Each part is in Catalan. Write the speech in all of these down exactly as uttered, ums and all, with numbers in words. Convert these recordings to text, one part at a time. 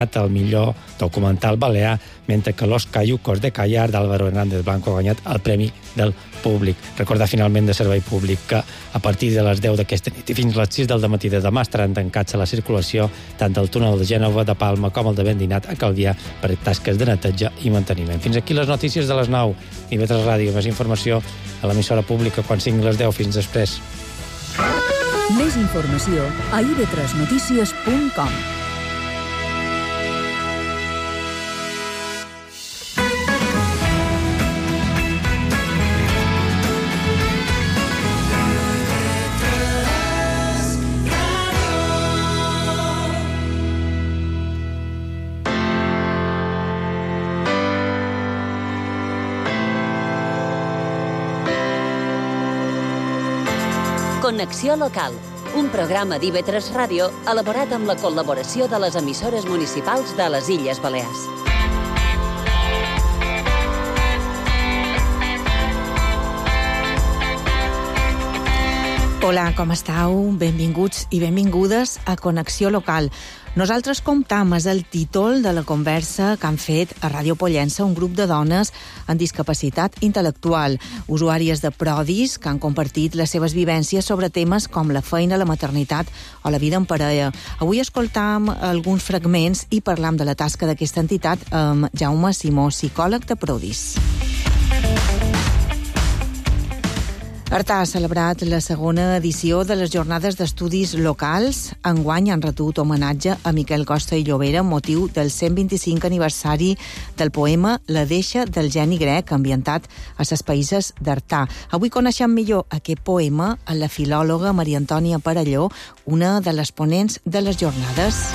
el millor documental balear, mentre que Los Cayucos de Callar d'Álvaro Hernández Blanco ha guanyat el Premi del Públic. Recordar finalment de servei públic que a partir de les deu d'aquesta nit i fins a les sis del dematí de demà estaran tancats a la circulació tant del túnel de Gènova de Palma com el de Vendinat a Calvià per tasques de neteja i manteniment. Fins aquí les notícies de les nou. I Vetres Ràdio, més informació a l'emissora pública quan siguin les deu. Fins després. Més informació a i ve tres notícies punt com. Connexió local, un programa d'I ve tres Ràdio elaborat amb la col·laboració de les emissores municipals de les Illes Balears. Hola, com estàu? Benvinguts i benvingudes a Connexió Local. Nosaltres comptam és el títol de la conversa que han fet a Ràdio Pollença un grup de dones amb discapacitat intel·lectual, usuàries de Prodis que han compartit les seves vivències sobre temes com la feina, la maternitat o la vida en parella. Avui escoltam alguns fragments i parlam de la tasca d'aquesta entitat amb Jaume Simó, psicòleg de Prodis. Artà ha celebrat la segona edició de les Jornades d'Estudis Locals. Enguany han retut homenatge a Miquel Costa i Llobera amb motiu del cent vint-i-cinc aniversari del poema La deixa del geni grec, ambientat a ses païses d'Artà. Avui coneixem millor aquest poema a la filòloga Maria Antònia Parelló, una de les ponents de les jornades.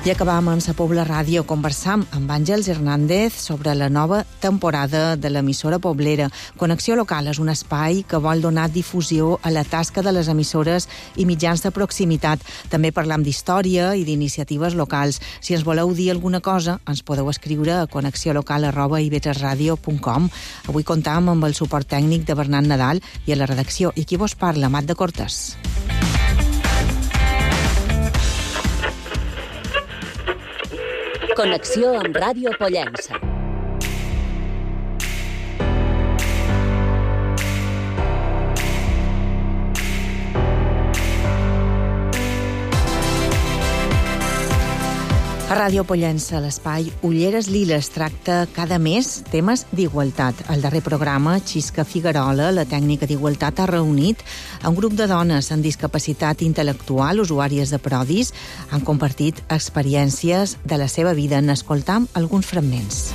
I acabam en Sa Pobla Ràdio conversam amb Àngels Hernández sobre la nova temporada de l'emissora poblera. Connexió Local és un espai que vol donar difusió a la tasca de les emissores i mitjans de proximitat. També parlam d'història i d'iniciatives locals. Si ens voleu dir alguna cosa, ens podeu escriure a connexiolocal arroba i ve tres ràdio punt com. Avui comptam amb el suport tècnic de Bernat Nadal i a la redacció. I aquí vos parla, Mat de Cortes. Connexió amb Ràdio Pollença. A Ràdio Pollença, l'espai Ulleres Liles tracta cada mes temes d'igualtat. Al darrer programa, Xisca Figuerola, la tècnica d'igualtat, ha reunit un grup de dones amb discapacitat intel·lectual, usuàries de Prodis, han compartit experiències de la seva vida. N'escoltam alguns fragments.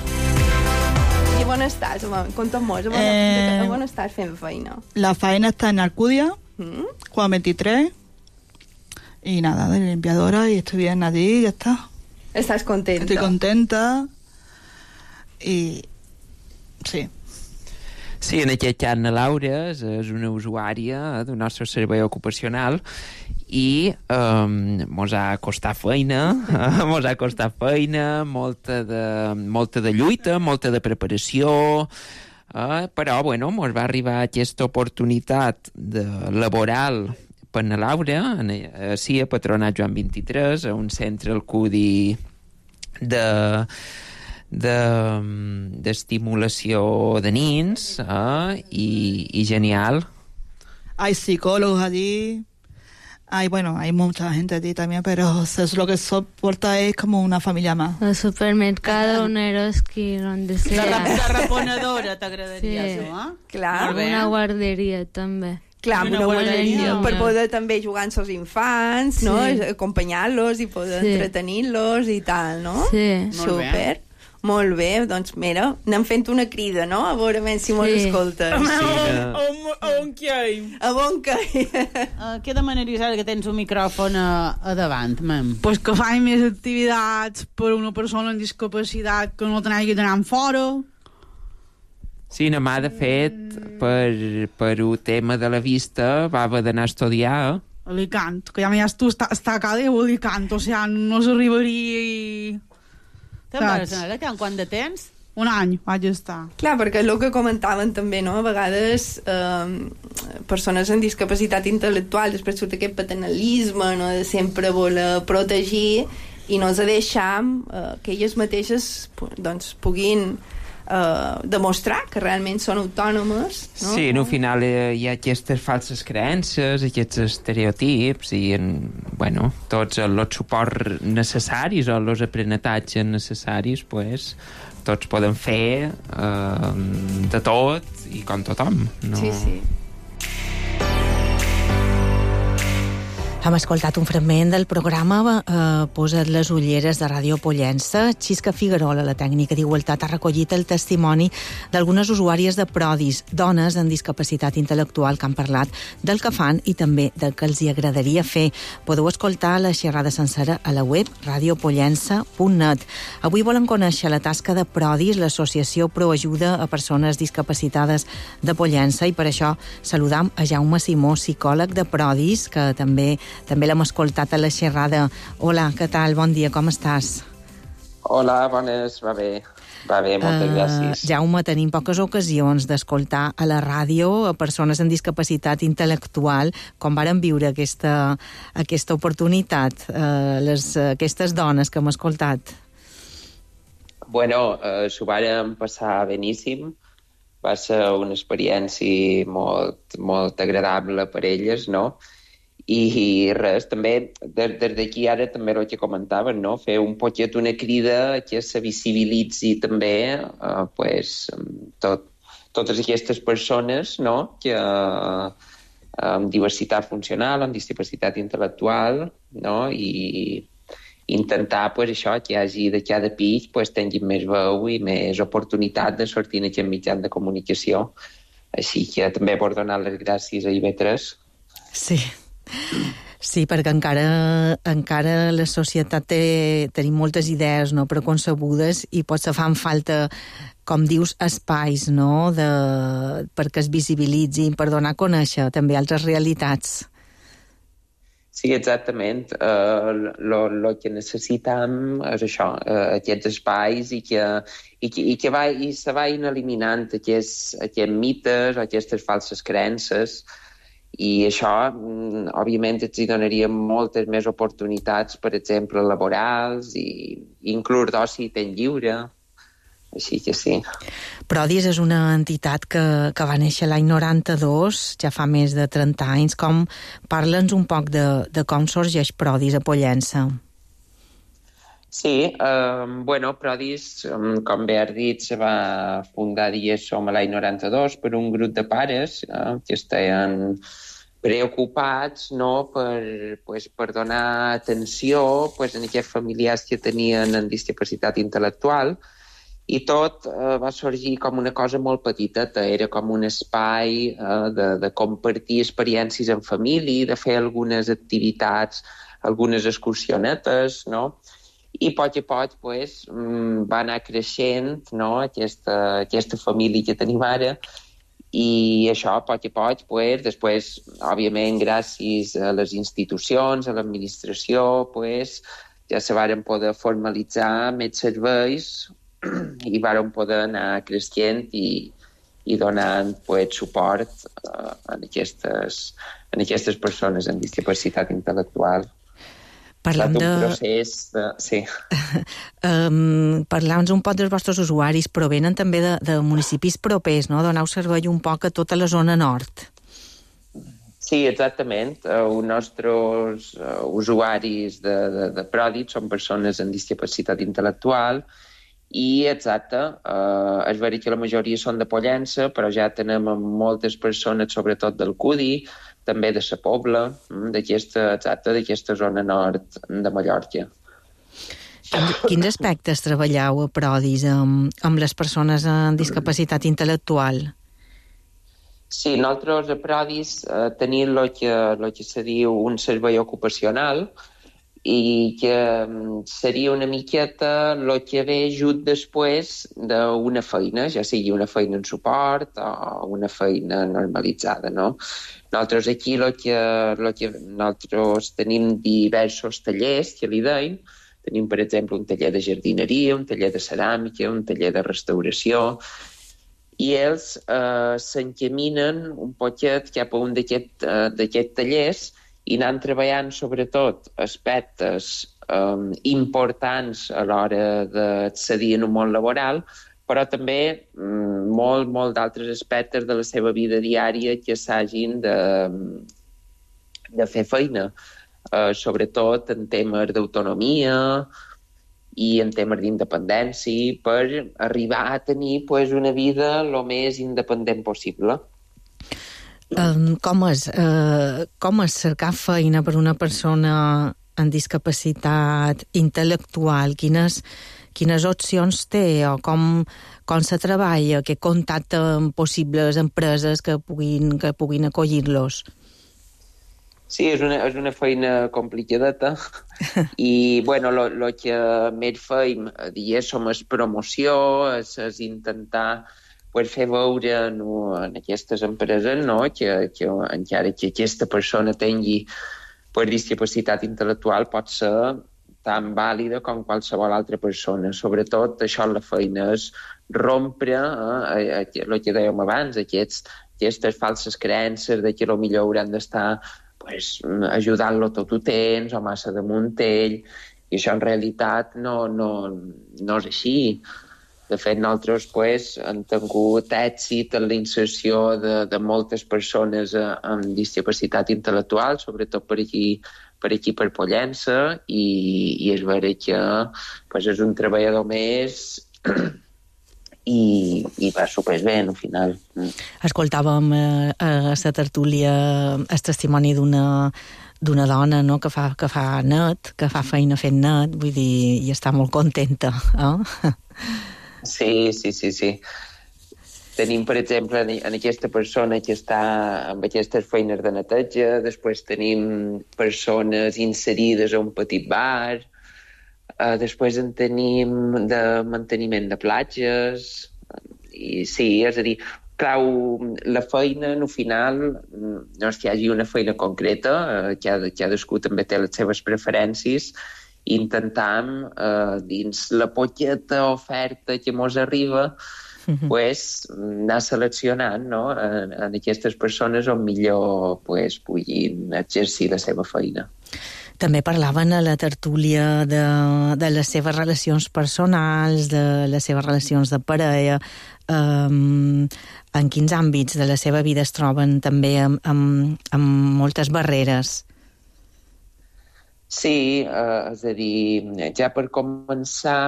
I on estàs? Conta'm-mos, eh... on estàs fent feina? La feina està en Alcudia, ¿Mm? Juan veintitrés, y nada, de limpiadora, y estoy bien allí, y ya está. ¿Estás contenta? Estoy contenta i... sí. Sí, en aquest cas la Laura és, és una usuària del nostre servei ocupacional i eh, mos ha costat feina, eh, mos ha costat feina, molta de, molta de lluita, molta de preparació, eh, però, bueno, mos va arribar aquesta oportunitat de laboral per la Laura, sí, a Patronat Joan vint-i-tres, a un centre al Cudi de, de, d'estimulació de nins, eh, i, i genial. Hay psicólogos allí, hay, bueno, hay mucha gente allí también, pero es lo que soporta es como una familia más. El supermercado, un Eroski, donde sea. La, la reponedora t'agradaria, sí. això, eh? Clar. Una guarderia, també. Clar, una, una guarderia, per poder també jugar amb els infants, no? Sí. Acompanyar-los i poder sí. entretenir-los i tal, no? Sí. Super. Molt bé, doncs mira, anem fent una crida, no? A veure si mos sí. escoltes. Sí, no. A on que hi? A on que hi? Uh, què demanaries ara que tens un micròfon a, a davant, mem? Pues que faci més activitats per una persona amb discapacitat que no tenagui d'anar fora. Sí, na mà, de fet, per, per un tema de la vista va haver d'anar a estudiar. Alicant, que ja m'has tu està, està a cada a Alicant, o sigui, no s'arribaria i... Te'n vas anar, que quant de temps? un any vaig estar. Clar, perquè el que comentaven també, no? A vegades eh, persones amb discapacitat intel·lectual després surt aquest paternalisme, no? De sempre voler protegir i no ens deixam eh, que elles mateixes doncs, puguin eh, demostrar que realment són autònomes, no? Sí, no, al final eh, hi ha aquestes falses creences, aquests estereotips i en, bueno, tots els suports necessaris o els aprenentatges necessaris, pues, tots poden fer eh, de tot i com tothom. No? Sí, sí. Hem escoltat un fragment del programa eh, Posa't les ulleres de Ràdio Pollença. Xisca Figuerola, la tècnica d'Igualtat, ha recollit el testimoni d'algunes usuàries de Prodis, dones amb discapacitat intel·lectual, que han parlat del que fan i també del que els hi agradaria fer. Podeu escoltar la xerrada sencera a la web radio pollença punt net. Avui volen conèixer la tasca de Prodis, l'associació Proajuda a Persones Discapacitades de Pollença, i per això saludam a Jaume Simó, psicòleg de Prodis, que també També l'hem escoltat a la xerrada. Hola, què tal? Bon dia, com estàs? Hola, bones, va bé. Va bé, moltes uh, gràcies. Jaume, tenim poques ocasions d'escoltar a la ràdio a persones amb discapacitat intel·lectual, com varen viure aquesta, aquesta oportunitat, uh, les, aquestes dones que hem escoltat. Bueno, uh, s'ho vàrem passar beníssim. Va ser una experiència molt, molt agradable per elles, no? I res, també, des, des d'aquí ara també el que comentaven, no? Fer un poquet una crida que se visibilitzi també eh, pues, tot, totes aquestes persones, no? Que eh, amb diversitat funcional, amb discapacitat intel·lectual, no? I intentar pues, això, que hi hagi de cada pis pues, tinguin més veu i més oportunitat de sortir en aquest mitjan de comunicació. Així que també vull donar les gràcies a I V tres. Sí. Sí, perquè encara, encara la societat té, tenim moltes idees, no?, preconcebudes, i potser fan falta, com dius, espais, no?, de, perquè es visibilitzin, per donar a conèixer també altres realitats. Sí, exactament. El uh, que necessitem és això, uh, aquests espais i que, i que, i que va, i se vagin eliminant aquests, aquests mites o aquestes falses creences. I això, òbviament, ens hi donaria moltes més oportunitats, per exemple, laborals i inclús d'oci i temps lliure. Així que sí. Prodis és una entitat que, que va néixer l'any noranta-dos, ja fa més de trenta anys. Com, parla'ns un poc de, de com sorgeix Prodis a Pollença. Sí, eh, bueno, Prodis, com bé has dit, se va fundar, diguéssim, l'any noranta-dos per un grup de pares eh, que estaven preocupats, no?, per, pues, per donar atenció pues, a aquests familiars que tenien en discapacitat intel·lectual, i tot eh, va sorgir com una cosa molt petiteta. Era com un espai eh, de, de compartir experiències en família, de fer algunes activitats, algunes excursionetes, no?, i a poc a poc pues, va anar creixent, no?, aquesta, aquesta família que tenim ara, i això a poc a poc, pues, després, òbviament, gràcies a les institucions, a l'administració, pues, ja se varen poder formalitzar més serveis i varen poder anar creixent i, i donant pues, suport uh, a, aquestes, a aquestes persones amb discapacitat intel·lectual. Parlem de... procés de... Sí. um, Parlem un poc dels vostres usuaris, però venen també de, de municipis propers, no? Doneu servei un poc a tota la zona nord. Sí, exactament. Uh, els nostres uh, usuaris de, de, de Prodis són persones amb discapacitat intel·lectual i, exacte, uh, és veritat que la majoria són de Pollença, però ja tenem moltes persones, sobretot del Cudi, també de la Pobla, d'aquesta, exacte, d'aquesta zona nord de Mallorca. Quins, quins aspectes treballeu a Prodis amb, amb les persones amb discapacitat intel·lectual? Sí, nosaltres a Prodis eh, tenim el que, lo que se diu un servei ocupacional i que seria una miqueta el que ve just després d'una feina, ja sigui una feina en suport o una feina normalitzada, no? Nosaltres aquí lo que, lo que nosaltres tenim diversos tallers, que li deim, Tenim, per exemple, un taller de jardineria, un taller de ceràmica, un taller de restauració, i ells eh, s'encaminen un poquet cap a un d'aquests eh, d'aquest tallers i anant treballant sobretot aspectes eh, importants a l'hora d'accedir en un món laboral, però també mm, molt, molt d'altres aspectes de la seva vida diària que s'hagin de, de fer feina, eh, sobretot en temes d'autonomia i en temes d'independència, per arribar a tenir pues, una vida el més independent possible. Um, com és, uh, com és cercar feina per una persona amb discapacitat intel·lectual? Quines, quines opcions té o com, com se treballa? Què contacta amb possibles empreses que puguin, que puguin acollir-los? Sí, és una, és una feina complicadeta i, bueno, lo, lo que més feim, diguéssim, és promoció, és, és intentar pues, fer veure no, en aquestes empreses no, que, que encara que aquesta persona tingui pues, discapacitat intel·lectual pot ser tan vàlida com qualsevol altra persona. Sobretot, això la feina és rompre eh, el que dèiem abans, aquests, aquestes falses creences de que potser hauran d'estar pues, ajudant-lo tot ho temps o massa damunt ell, i això en realitat no, no, no és així. De fet, nosaltres pues, hem tingut èxit en la inserció de, de moltes persones eh, amb discapacitat intel·lectual, sobretot per aquí per aquí per Pollença, i, i és vera que pues, és un treballador més i, i va superbé, al final. Escoltàvem eh, a la tertúlia el testimoni d'una d'una dona no, que, fa, que fa net, que fa feina fent net, vull dir, i està molt contenta. Eh? Sí, sí, sí, sí. Tenim, per exemple, en aquesta persona que està amb aquestes feines de neteja, després tenim persones inserides a un petit bar, Uh, després en tenim de manteniment de platges, i sí, és a dir, clau, la feina, al final, no és que hi hagi una feina concreta, uh, cada, cadascú també té les seves preferències, i intentam, uh, dins la poqueta oferta que mos arriba, uh-huh. pues, anar seleccionant no? en, en aquestes persones on millor pues, puguin exercir la seva feina. També parlaven a la tertúlia de, de les seves relacions personals, de les seves relacions de parella, um, en quins àmbits de la seva vida es troben també amb, amb, amb moltes barreres. Sí, eh, és a dir, ja per començar,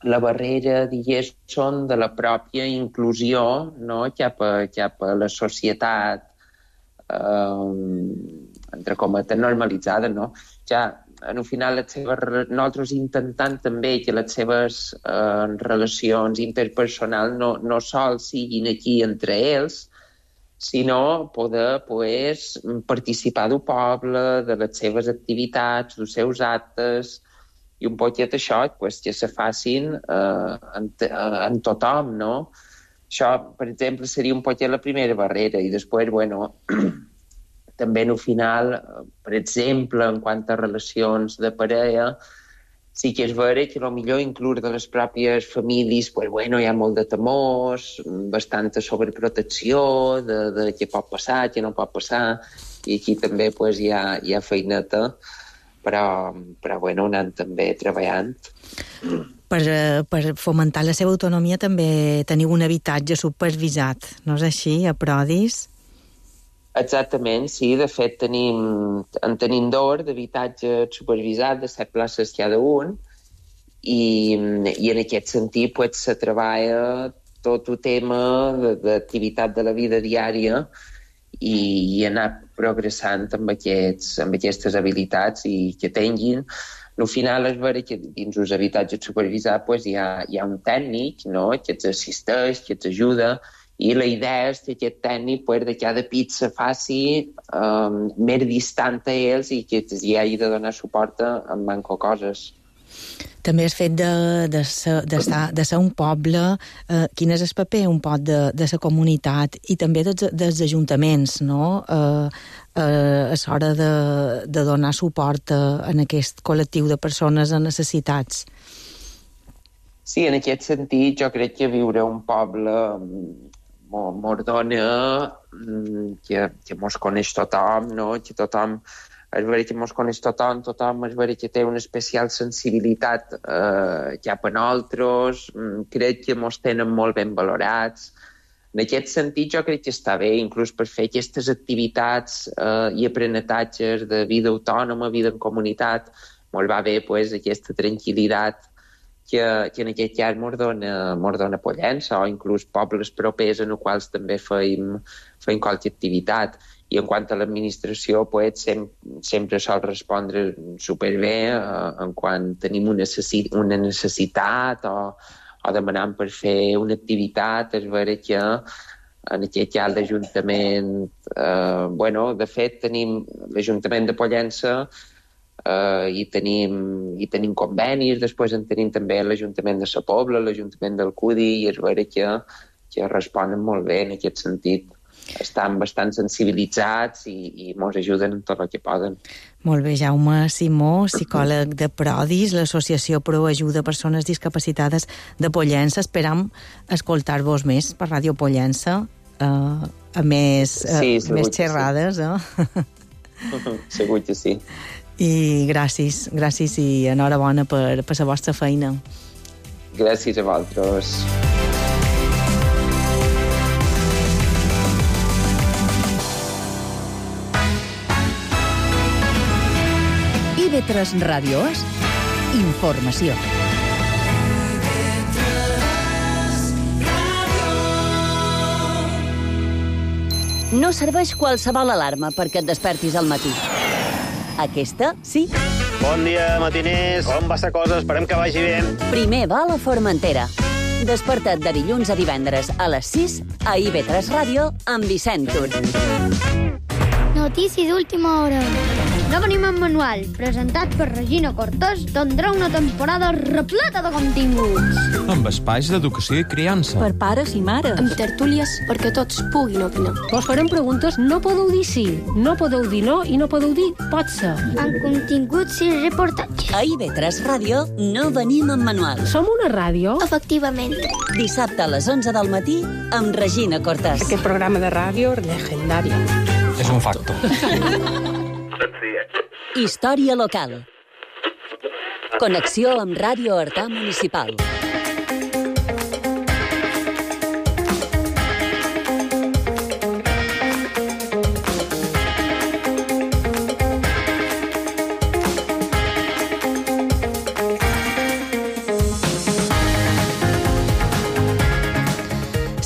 la barrera, diguéssim, de la pròpia inclusió no? cap, a, cap a la societat, eh, entre cometes, normalitzada, no? Ja, al final, les seves, nosaltres intentant també que les seves eh, relacions interpersonals no, no sols siguin aquí entre ells, sinó poder pues, participar del poble, de les seves activitats, dels seus actes, i un poquet això pues, que se facin eh, en, en tothom, no? Això, per exemple, seria un poquet la primera barrera, i després, bueno, també al final, per exemple, en quant a relacions de parella, sí que és vera que potser inclús de les pròpies famílies pues, bueno, hi ha molt de temors, bastanta sobreprotecció de, de què pot passar, què no pot passar, i aquí també pues, hi, ha, hi ha feineta, però, però bueno, anant també treballant. Per, per fomentar la seva autonomia també teniu un habitatge supervisat, no és així, a Prodis? Exactament, sí. De fet, tenim, en tenim dos d'habitatge supervisat de set places cada un, i, i en aquest sentit pues, se treballa tot el tema d'activitat de la vida diària i, i anar progressant amb, aquests, amb aquestes habilitats i que tinguin. Al final és vera que dins els habitatges supervisats pues, hi, ha, hi ha un tècnic no? que els assisteix, que els ajuda, i la idea és que aquest tècnic pues, de cada pit se faci um, més distant a ells i que hi hagi de donar suport en manco coses. També has fet de, de, ser, de, ser, de ser un poble, eh, quin és el paper un pot de, de la comunitat i també dels, dels ajuntaments, no? Eh, eh, és hora de, de donar suport a, en aquest col·lectiu de persones en necessitats. Sí, en aquest sentit, jo crec que viure un poble mos dona que, que mos coneix tothom, no? Que tothom és veritat que mos coneix tothom, tothom és veritat que té una especial sensibilitat eh, cap a nosaltres, crec que mos tenen molt ben valorats. En aquest sentit jo crec que està bé, inclús per fer aquestes activitats eh, i aprenentatges de vida autònoma, vida en comunitat, molt va bé pues, aquesta tranquil·litat que, que en aquest cas mos dona, mos dona Pollença, o inclús pobles propers en els quals també feim, feim qualque activitat. I en quant a l'administració, pues, sem sempre sol respondre superbé eh, en quan tenim una, necessi una necessitat o, o demanant per fer una activitat. És vera que en aquest cas l'Ajuntament... Eh, bueno, de fet, tenim l'Ajuntament de Pollença eh, i, tenim, i tenim convenis, després en tenim també l'Ajuntament de Sa Pobla, l'Ajuntament d'Alcúdia, i és vera que, que responen molt bé en aquest sentit. Estan bastant sensibilitzats i, i mos ajuden en tot el que poden. Molt bé, Jaume Simó, psicòleg de Prodis, l'Associació Pro Ajuda a Persones Discapacitades de Pollença. Esperam escoltar-vos més per Ràdio Pollença, eh, a més, eh, sí, més xerrades. Sí. Eh? Segur que sí. I gràcies, gràcies i enhorabona per, per la vostra feina. Gràcies a vosaltres. I ve tres Ràdio és informació. No serveix qualsevol alarma perquè et despertis al matí. Aquesta, sí. Bon dia, matiners. Com va la cosa? Esperem que vagi bé. Primer vol a Formentera. Desperta't de dilluns a divendres a les sis a I V tres Ràdio amb Vicent Tur. Notícies d'última hora. No venim en manual, presentat per Regina Cortés, tindrà una temporada repleta de continguts. Amb espais d'educació i criança. Per pares i mares. Amb tertúlies perquè tots puguin opinar. Vos farem preguntes, no podeu dir sí, no podeu dir no i no podeu dir pot ser. Amb continguts i reportatges. A I V tres Ràdio no venim en manual. Som una ràdio? Efectivament. Dissabte a les onze del matí amb Regina Cortés. Aquest programa de ràdio legendari. És un facto. Història local. Connexió amb Ràdio Artà Municipal.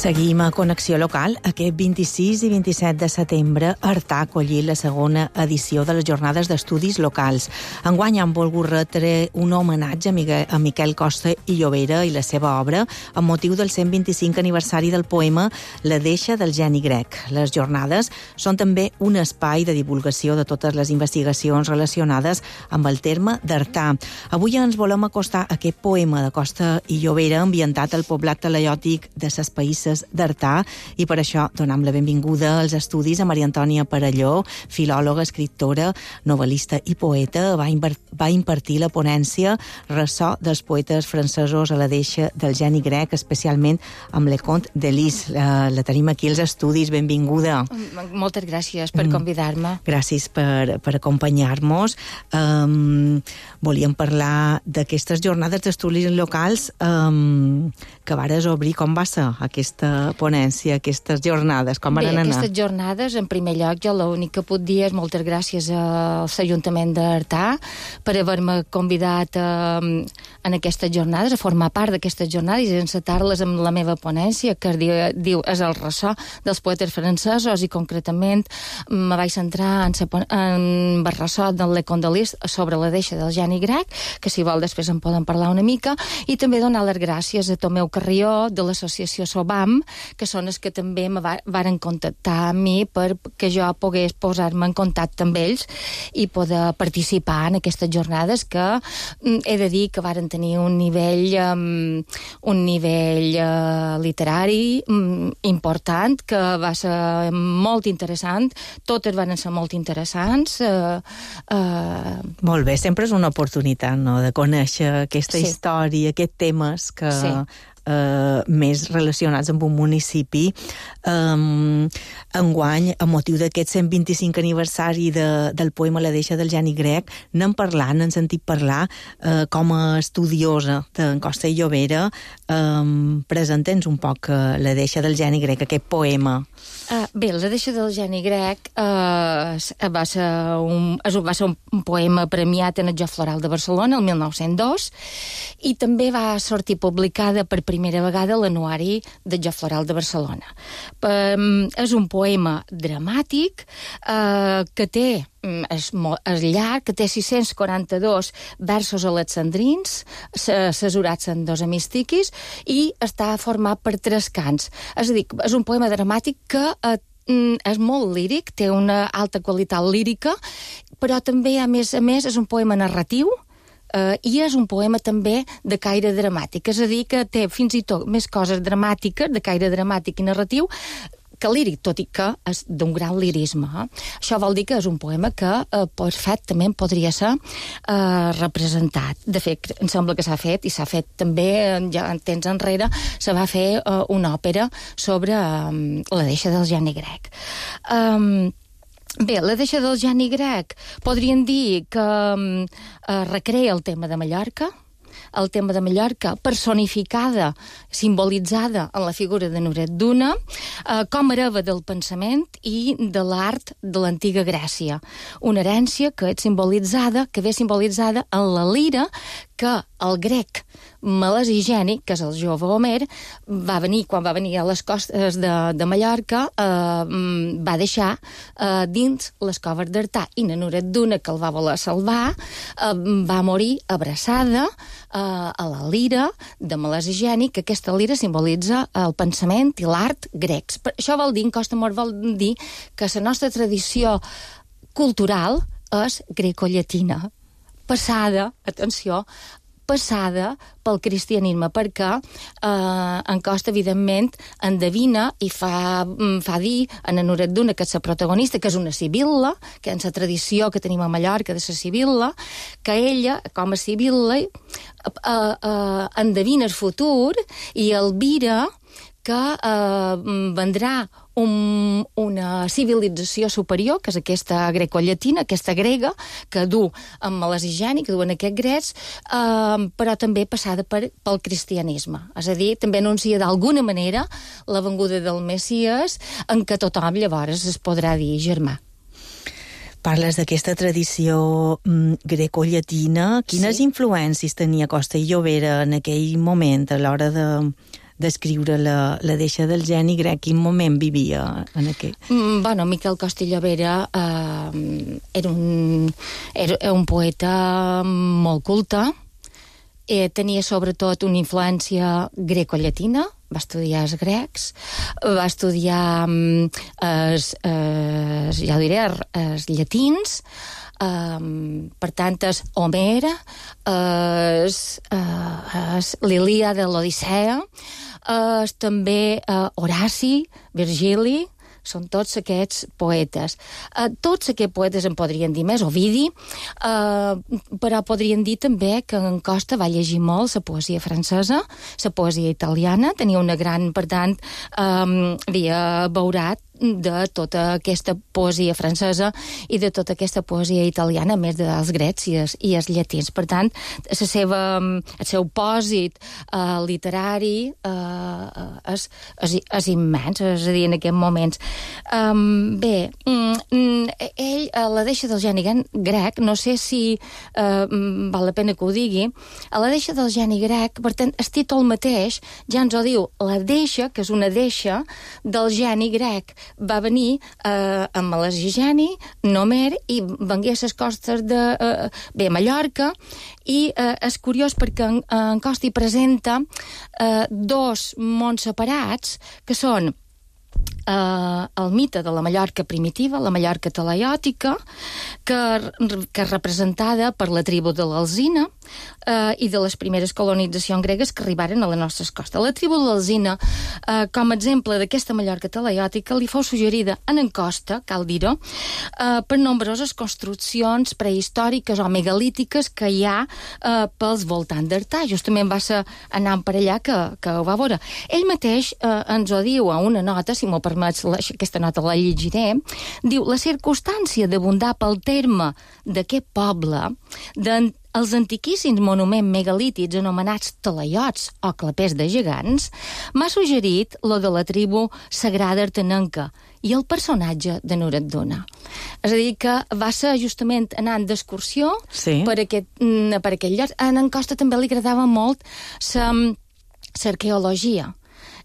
Seguim a Connexió Local. Aquest vint-i-sis i vint-i-set de setembre, Artà ha acollit la segona edició de les Jornades d'Estudis Locals. Enguany han volgut retre un homenatge a Miquel Costa i Llobera i la seva obra amb motiu del cent vint-i-cinc aniversari del poema La deixa del geni grec. Les jornades són també un espai de divulgació de totes les investigacions relacionades amb el terme d'Artà. Avui ens volem acostar a aquest poema de Costa i Llobera ambientat al poblat talaiòtic de ses Païsses d'Artà, i per això donem la benvinguda als estudis a Maria Antònia Parelló, filòloga, escriptora, novel·lista i poeta. Va, va impartir la ponència Ressò dels poetes francesos a la deixa del geni grec, especialment amb Le Conte de Lis. La, la tenim aquí als estudis. Benvinguda. Moltes gràcies per convidar-me. Gràcies per, per acompanyar-nos. Um, volíem parlar d'aquestes jornades d'estudis locals um, que vares obrir. Com va ser aquesta ponència, aquestes jornades, com van Bé, anar? Aquestes jornades, en primer lloc, jo l'únic que puc dir és moltes gràcies a l'Ajuntament d'Artà per haver-me convidat a, en aquestes jornades, a formar part d'aquestes jornades i encetar-les amb la meva ponència, que es diu, diu és el ressò dels poetes francesos, i concretament me vaig centrar en, sa, en el ressò del Le Condolis sobre la deixa del Geni Grec, que si vol després en poden parlar una mica, i també donar les gràcies a Tomeu Carrió de l'associació Sobam, que són els que també me va, varen contactar a mi perquè jo pogués posar-me en contacte amb ells i poder participar en aquestes jornades, que he de dir que varen tenir un nivell um, un nivell uh, literari um, important, que va ser molt interessant, totes van ser molt interessants. Uh, uh... Molt bé, sempre és una oportunitat, no?, de conèixer aquesta Sí. història, aquests temes que... Sí. Uh, més relacionats amb un municipi. Um, enguany, a motiu d'aquest cent vint-i-cinc aniversari de, del poema La deixa del Geni Grec, n'hem parlat, n'hem sentit parlar, uh, com a estudiosa d'en Costa i Llobera. Um, presenta'ns un poc uh, La deixa del Geni Grec, aquest poema. Uh, bé, La deixa del Geni Grec uh, va, ser un, va ser un poema premiat en el Joc Floral de Barcelona el mil nou-cents dos, i també va sortir publicada per primera vegada a l'anuari del Joc Floral de Barcelona. Um, és un poema dramàtic uh, que té és, molt, és llarg, que té sis-cents quaranta-dos versos alexandrins, cesurats en dos hemistiquis, i està format per tres cants. És a dir, és un poema dramàtic que eh, és molt líric, té una alta qualitat lírica, però també, a més a més, és un poema narratiu, Uh, i és un poema també de caire dramàtic, és a dir, que té fins i tot més coses dramàtiques, de caire dramàtic i narratiu, que líric, tot i que és d'un gran lirisme. Eh? Això vol dir que és un poema que uh, perfectament podria ser uh, representat. De fet, em sembla que s'ha fet, i s'ha fet també, ja en temps enrere, se va fer uh, una òpera sobre um, la deixa del Geni Grec. Um, Bé, la deixa del Geni Grec podríem dir que eh, recrea el tema de Mallorca, el tema de Mallorca personificada, simbolitzada en la figura de Nuret Duna, eh, com a hereva del pensament i de l'art de l'antiga Grècia. Una herència que és simbolitzada, que ve simbolitzada en la lira que el grec Melesigeni, que és el jove Homer, va venir, quan va venir a les costes de, de Mallorca, eh, va deixar eh, dins les coves d'Artà, i Nuret Duna, que el va voler salvar, eh, va morir abraçada eh, a la lira de Melesigeni, que aquesta lira simbolitza el pensament i l'art grecs. Per això vol dir, en costa molt vol dir, que la nostra tradició cultural és grecollatina, passada, atenció, passada pel cristianisme, perquè eh, en Costa, evidentment, endevina i fa, fa dir a Nuret Duna, que és la protagonista, que és una sibil·la, que és la tradició que tenim a Mallorca de la sibil·la, que ella, com a sibil·la, eh, eh, endevina el futur i albira que eh, vendrà un, una civilització superior, que és aquesta grecollatina, aquesta grega, que du amb Melesigeni, que duen aquests grecs, eh, però també passada per, pel cristianisme. És a dir, també anuncia d'alguna manera la venguda del Messies, en què tothom llavors es podrà dir germà. Parles d'aquesta tradició mm, grecollatina. Quines sí. influències tenia Costa i Llobera en aquell moment, a l'hora de... d'escriure la, la deixa del Geni Grec? Quin moment vivia en aquell? Mm, bueno, Miquel Costa i Llobera eh, era, un, era un poeta molt culte, eh, tenia sobretot una influència grecollatina, va estudiar els grecs, va estudiar mm, els, els, ja ho diré, els llatins, Um, per tant, és Homer, és, és l'Ilíada, l'Odissea, és també uh, Horaci, Virgili, són tots aquests poetes. Uh, tots aquests poetes en podrien dir més, Ovidi, uh, però podrien dir també que en Costa va llegir molt la poesia francesa, la poesia italiana, tenia una gran, per tant, um, havia beurat de tota aquesta poesia francesa i de tota aquesta poesia italiana, a més dels grecs i els, i els llatins. Per tant, la seva, el seu pòsit eh, literari eh, és, és, és immens, és a dir, en aquests moments. Um, bé, mm, ell, a la deixa del geni grec, no sé si eh, val la pena que ho digui, a la deixa del geni grec, per tant, el títol mateix ja ens ho diu, la deixa, que és una deixa del geni grec. Va venir eh, amb Melasgeni, Nomer, i vengué a les costes de eh, bé, Mallorca, i eh, és curiós perquè en, en Costi presenta eh, dos mons separats, que són Uh, el mite de la Mallorca primitiva, la Mallorca talaiòtica, que, que és representada per la tribu de l'Alzina uh, i de les primeres colonitzacions gregues que arribaren a les nostres costes. La tribu de l'Alzina, uh, com a exemple d'aquesta Mallorca talaiòtica, li fou suggerida en Encosta, cal dir-ho, uh, per nombroses construccions prehistòriques o megalítiques que hi ha uh, pels voltants d'Artà. Justament va ser anant per allà que, que ho va veure. Ell mateix uh, ens ho diu a una nota, si m'ho permets, la, aquesta nota la llegiré, diu, la circumstància d'abundar pel terme d'aquest poble, de, els antiquíssims monuments megalítics anomenats talaiots o clapers de gegants, m'ha suggerit lo de la tribu sagrada artenenca i el personatge de Nuret Duna. És a dir, que va ser justament anant d'excursió sí. per, aquest, per aquell lloc. A en Costa també li agradava molt l'arqueologia.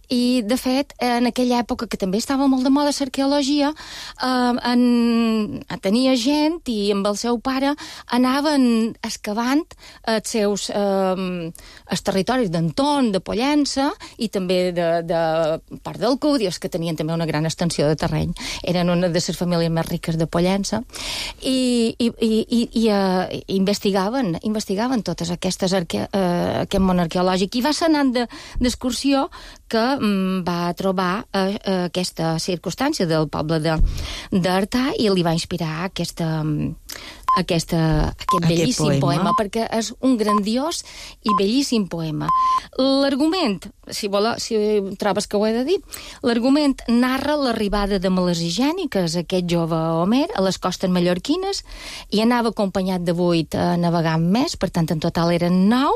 I, de fet, en aquella època, que també estava molt de moda l'arqueologia, eh, en, tenia gent i amb el seu pare anaven excavant els seus eh, els territoris d'Anton, de Pollença, i també de, de part d'Alcúdia, que tenien també una gran extensió de terreny. Eren una de les famílies més riques de Pollença. I, i, i, i, i uh, investigaven, investigaven totes aquestes arque, uh, aquest món arqueològic. I va ser anant d'excursió de, que va trobar eh, aquesta circumstància del poble d'Artà i li va inspirar aquesta, aquesta, aquest bellíssim aquest poema. poema, perquè és un grandiós i bellíssim poema. L'argument, si, vol, si trobes que ho he de dir, l'argument narra l'arribada de Melasgeni, que és aquest jove Homer, a les costes mallorquines, i anava acompanyat de vuit a navegar més, per tant, en total eren nou,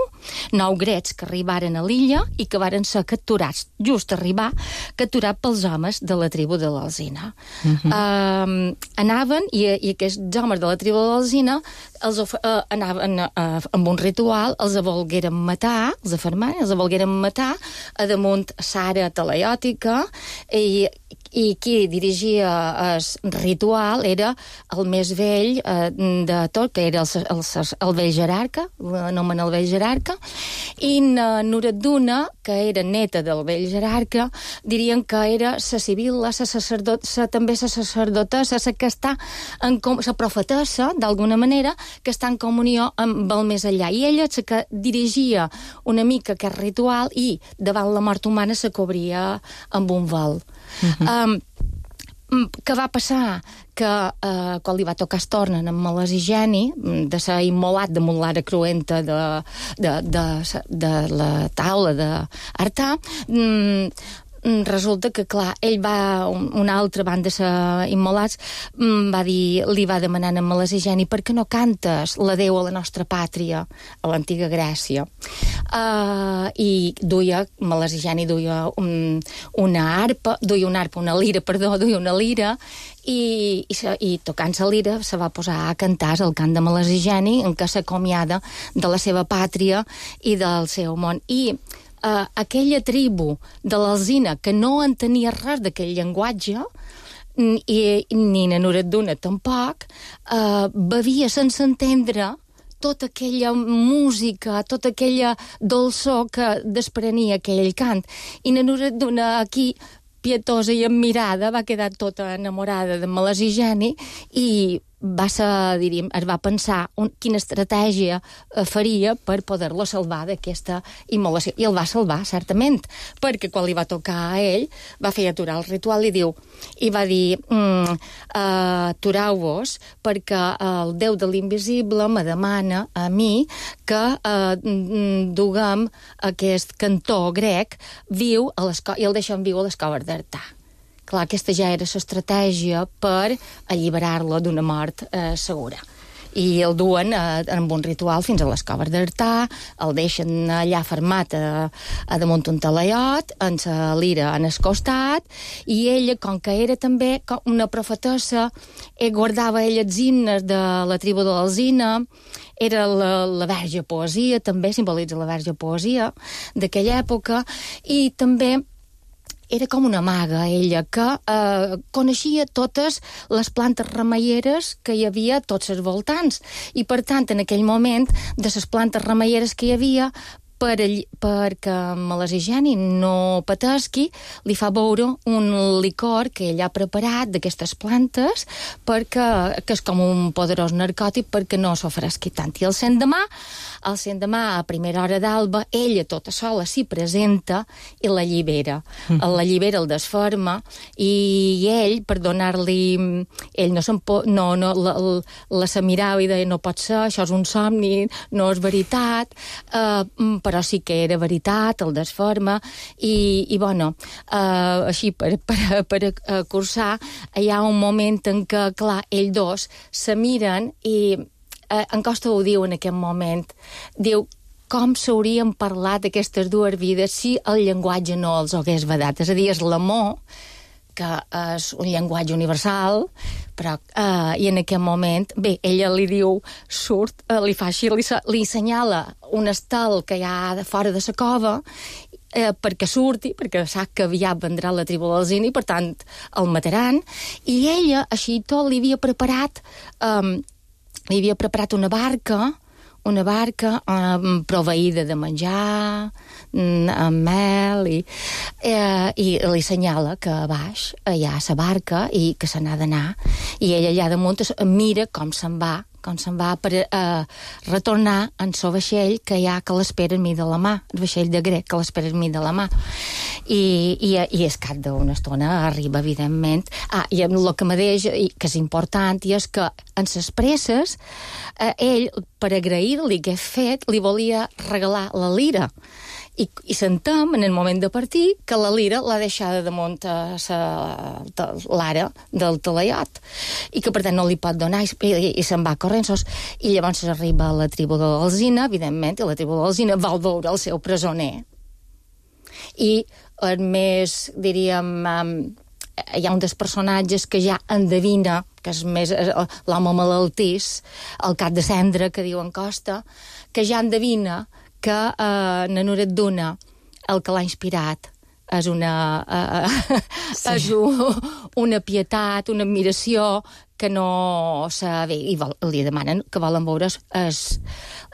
nou grecs que arribaren a l'illa i que varen ser capturats, just arribar, capturat pels homes de la tribu de l'Alzina. Uh -huh. uh, anaven, i, i aquests homes de la tribu de l'Alzina els uh, anaven uh, amb un ritual, els volgueren matar, els afermaren, els volgueren matar a damunt Sara talaiòtica, i i qui dirigia el ritual era el més vell eh, de tot, que era el, el, el vell jerarca, l'anomena el vell jerarca, i Nuret Duna, que era neta del vell jerarca, dirien que era la civil, la sacerdot, també la sacerdotessa, la que està en la profetessa, d'alguna manera, que està en comunió amb el més enllà. I ella és la que dirigia una mica aquest ritual i davant la mort humana se cobria amb un vol. Uh-huh. Um, què va passar? Que uh, quan li va tocar es tornen amb Melasgeni, de ser immolat damunt l'ara cruenta de, de, de, de la taula d'Artà, um, resulta que, clar, ell va, una altra banda de ser immolats, va dir, li va demanar a Melasgeni, per què no cantes l'adeu a la nostra pàtria, a l'antiga Grècia? Uh, I duia, Melasgeni duia un, una arpa, duia una arpa, una lira, perdó, duia una lira, i, i, i tocant-se lira se va posar a cantar el cant de Melasgeni, en què s'acomiada de la seva pàtria i del seu món. I Uh, aquella tribu de l'Alzina que no entenia res d'aquell llenguatge, i ni na Nuret Duna tampoc, uh, bevia sense entendre tota aquella música, tota aquella dolçor que desprenia aquell cant. I na Nuret Duna aquí, pietosa i admirada, va quedar tota enamorada de Melasgeni i va ser, diríem, es va pensar un, quina estratègia eh, faria per poder-lo salvar d'aquesta immolació. I el va salvar, certament, perquè quan li va tocar a ell, va fer aturar el ritual i diu, i va dir, mm, uh, atureu-vos, perquè el Déu de l'Invisible me demana a mi que uh, duguem aquest cantó grec viu a les co- i el deixem viu a les coves d'Artà. clar, aquesta ja era l'estratègia per alliberar-lo d'una mort eh, segura. I el duen eh, amb un ritual fins a les coves d'Artà, el deixen allà fermat a, a damunt un talaiot, amb la lira en el costat, i ella, com que era també una profetessa, eh, guardava ella els himnes de la tribu de l'Alzina, era la, la verge poesia, també simbolitza la verge poesia d'aquella època, i també era com una maga, ella, que eh, coneixia totes les plantes remeieres que hi havia a tots els voltants. I, per tant, en aquell moment, de les plantes remeieres que hi havia, per, perquè Melassigeni no patesqui, li fa beure un licor que ell ha preparat d'aquestes plantes, perquè, que és com un poderós narcòtic perquè no s'ofresqui tant. I el l'endemà, el l'endemà, a primera hora d'alba, ella tota sola s'hi presenta i la llibera. Mm. La llibera, el desferma, i ell, per donar-li... Ell no, no, no la, la se mirava i deia, no pot ser, això és un somni, no és veritat, eh, però sí que era veritat, el desferma, i, i bueno, eh, així per, per, per cursar, hi ha un moment en què, clar, ells dos se miren i eh, en Costa ho diu en aquest moment, diu com s'haurien parlat aquestes dues vides si el llenguatge no els hagués vedat. És a dir, és l'amor, que és un llenguatge universal, però eh, i en aquest moment, bé, ella li diu, surt, eh, li fa així, li, li assenyala un estel que hi ha de fora de la cova, eh, perquè surti, perquè sap que aviat vendrà la tribu del Zini, i per tant el mataran, i ella, així tot, li havia preparat, eh, li havia preparat una barca, una barca eh, proveïda de menjar, amb mel, i, eh, i li assenyala que a baix hi ha la barca i que se n'ha d'anar, i ella allà damunt mira com se'n va, com se'n va per eh, retornar en el vaixell que hi ha que l'espera enmig de la mà, el vaixell de grec que l'espera enmig de la mà. I, i, i és cap d'una estona arriba, evidentment. Ah, i el que me deixa, que és important, i és que en ses presses, eh, ell, per agrair-li què ha fet, li volia regalar la lira. I, i sentem, en el moment de partir, que la lira l'ha deixada damunt a l'ara del talaiot, i que per tant no li pot donar, i, i, i se'n va corrent. I llavors arriba a la tribu de l'Alzina, evidentment, i la tribu de l'Alzina vol veure el seu presoner. I el més, diríem, um, hi ha un dels personatges que ja endevina, que és més l'home malaltís, el cap de cendra, que diu en Costa, que ja endevina que eh, Nanuret Duna, el que l'ha inspirat, és una, eh, sí. és un, una pietat, una admiració que no sabe, i vol, li demanen que volen veure el,